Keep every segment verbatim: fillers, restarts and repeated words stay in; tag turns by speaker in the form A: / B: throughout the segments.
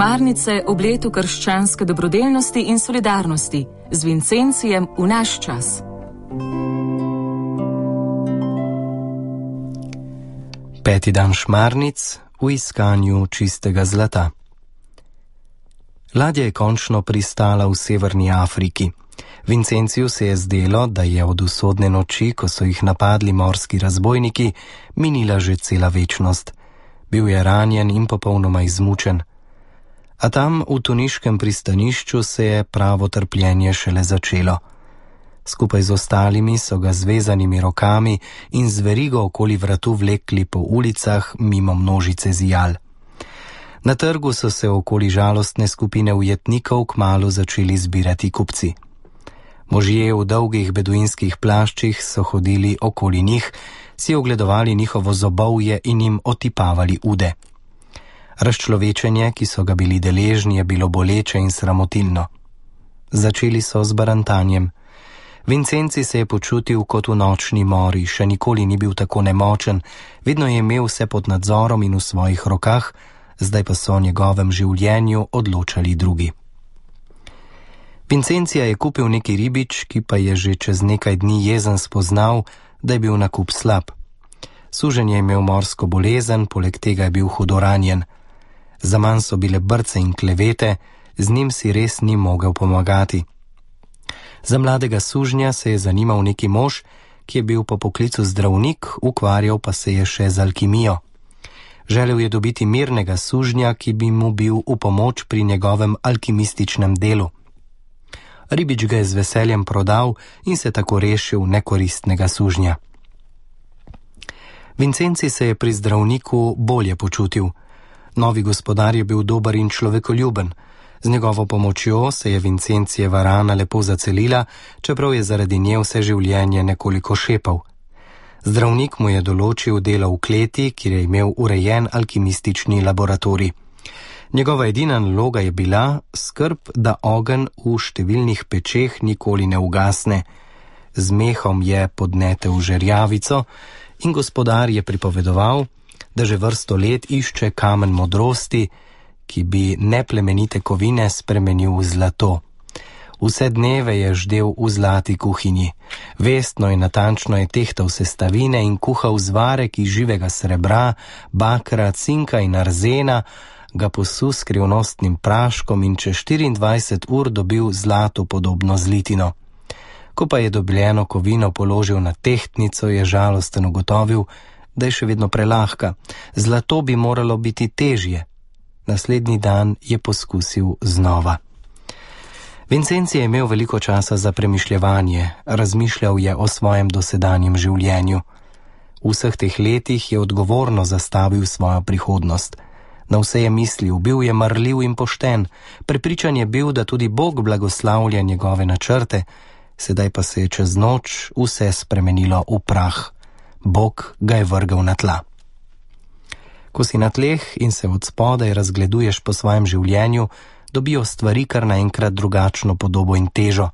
A: Šmarnice ob letu krščanske dobrodelnosti in solidarnosti z Vincencijem v naš čas.
B: Peti dan šmarnic v iskanju čistega zlata. Ladja je končno pristala v severni Afriki. Vincenciju se je zdelo, da je od usodne noči, ko so jih napadli morski razbojniki, minila že cela večnost. Bil je ranjen in popolnoma izmučen. A tam v tuniškem pristanišču se je pravo trpljenje šele začelo. Skupaj z ostalimi so ga z vezanimi rokami in z verigo okoli vratu vlekli po ulicah mimo množice zijal. Na trgu so se okoli žalostne skupine ujetnikov kmalu začeli zbirati kupci. Možje v dolgih beduinskih plaščih so hodili okoli njih, si ogledovali njihovo zobovje in jim otipavali ude. Razčlovečenje, ki so ga bili deležni, je bilo boleče in sramotilno. Začeli so z barantanjem. Vincenci se je počutil kot v nočni mori, še nikoli ni bil tako nemočen, vedno je imel vse pod nadzorom in v svojih rokah, zdaj pa so o njegovem življenju odločali drugi. Vincencija je kupil neki ribič, ki pa je že čez nekaj dni jezen spoznal, da je bil nakup slab. Suženj je imel morsko bolezen, poleg tega je bil hudo ranjen. Zaman so bile brce in klevete, z njim si res ni mogel pomagati. Za mladega sužnja se je zanimal neki mož, ki je bil po poklicu zdravnik, ukvarjal pa se je še z alkimijo. Želel je dobiti mirnega sužnja, ki bi mu bil v pomoč pri njegovem alkimističnem delu. Ribič ga je z veseljem prodal in se tako rešil nekoristnega sužnja. Vincenci se je pri zdravniku bolje počutil. Novi gospodar je bil dober in človekoljuben. Z njegovo pomočjo se je Vincencijeva rana lepo zacelila, čeprav je zaradi nje vse življenje nekoliko šepal. Zdravnik mu je določil delo v kleti, kjer je imel urejen alkimistični laboratorij. Njegova edina naloga je bila skrb, da ogenj v številnih pečeh nikoli ne ugasne. Z mehom je podnetel žerjavico in gospodar je pripovedoval, da že vrsto let išče kamen modrosti, ki bi neplemenite kovine spremenil v zlato. Vse dneve je ždel v zlati kuhinji. Vestno in natančno je tehtal sestavine in kuhal zvarek iz živega srebra, bakra, cinka in arzena, ga posul s skrivnostnim praškom in čez štiriindvajset ur dobil zlato podobno zlitino. Ko pa je dobljeno kovino položil na tehtnico, je žalosten ugotovil, da je še vedno prelahka. Zlato bi moralo biti težje. Naslednji dan je poskusil znova. Vincenci je imel veliko časa za premišljevanje, razmišljal je o svojem dosedanjem življenju. V vseh teh letih je odgovorno zastavil svojo prihodnost. Na vse je mislil, bil je marljiv in pošten, prepričan je bil, da tudi Bog blagoslavlja njegove načrte, sedaj pa se je čez noč vse spremenilo v prah. Bog ga je vrgel na tla. Ko si na tleh in se od spodaj razgleduješ po svojem življenju, dobijo stvari kar naenkrat drugačno podobo in težo.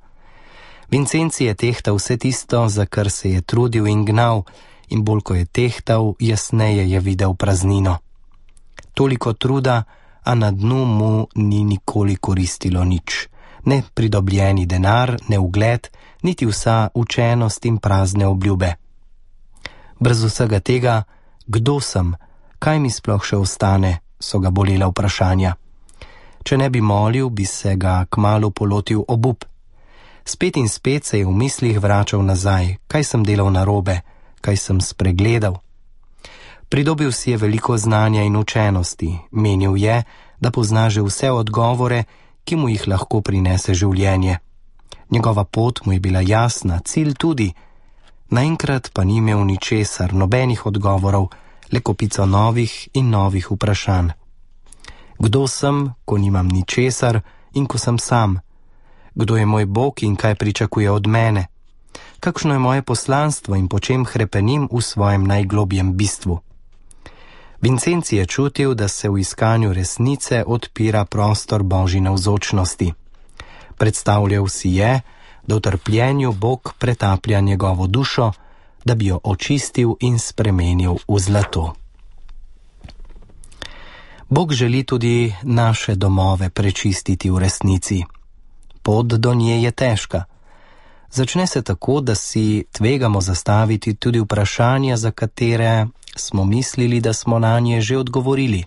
B: Vincenci je tehtal vse tisto, za kar se je trudil in gnal, in bolj ko je tehtal, jasneje je videl praznino. Toliko truda, a na dnu mu ni nikoli koristilo nič. Ne pridobljeni denar, ne ugled, niti vsa učenost in prazne obljube. Brez vsega tega, kdo sem, kaj mi sploh še ostane, so ga bolela vprašanja. Če ne bi molil, bi se ga kmalu polotil obup. Spet in spet se je v mislih vračal nazaj, kaj sem delal narobe, kaj sem spregledal. Pridobil si je veliko znanja in učenosti, menil je, da pozna že vse odgovore, ki mu jih lahko prinese življenje. Njegova pot mu je bila jasna, cilj tudi. Naenkrat pa ni imel ničesar, nobenih odgovorov, le kopico novih in novih vprašanj. Kdo sem, ko nimam ničesar in ko sem sam? Kdo je moj Bog in kaj pričakuje od mene? Kakšno je moje poslanstvo in po čem hrepenim v svojem najglobjem bistvu? Vincenci je čutil, da se v iskanju resnice odpira prostor Božji navzočnosti. Predstavljal si je, da v trpljenju Bog pretaplja njegovo dušo, da bi jo očistil in spremenil v zlato. Bog želi tudi naše domove prečistiti v resnici. Pot do nje je težka. Začne se tako, da si tvegamo zastaviti tudi vprašanja, za katere smo mislili, da smo na nje že odgovorili.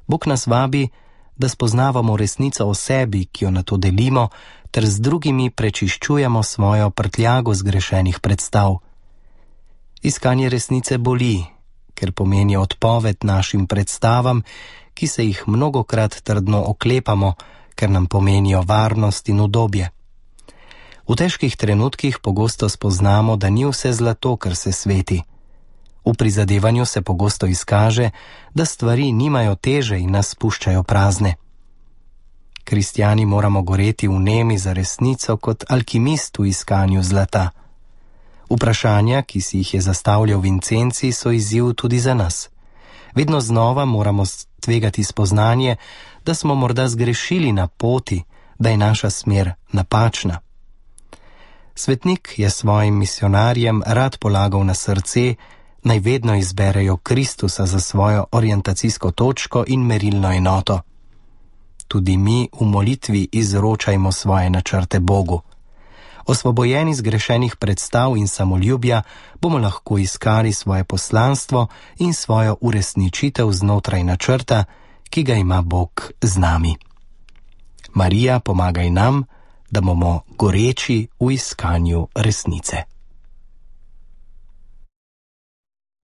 B: Bog nas vabi, da spoznavamo resnico o sebi, ki jo nato delimo, ter z drugimi prečiščujemo svojo prtljago zgrešenih predstav. Iskanje resnice boli, ker pomeni odpoved našim predstavam, ki se jih mnogokrat trdno oklepamo, ker nam pomenijo varnost in udobje. V težkih trenutkih pogosto spoznamo, da ni vse zlato, kar se sveti. V prizadevanju se pogosto izkaže, da stvari nimajo teže in nas puščajo prazne. Kristjani moramo goreti v nemi za resnico kot alkimist v iskanju zlata. Vprašanja, ki si jih je zastavljal Vincenci, so izziv tudi za nas. Vedno znova moramo tvegati spoznanje, da smo morda zgrešili na poti, da je naša smer napačna. Svetnik je svojim misionarjem rad polagal na srce, naj vedno izberejo Kristusa za svojo orientacijsko točko in merilno enoto. Tudi mi v molitvi izročajmo svoje načrte Bogu. Osvobojeni zgrešenih predstav in samoljubja bomo lahko iskali svoje poslanstvo in svojo uresničitev znotraj načrta, ki ga ima Bog z nami. Marija, pomagaj nam, da bomo goreči v iskanju resnice.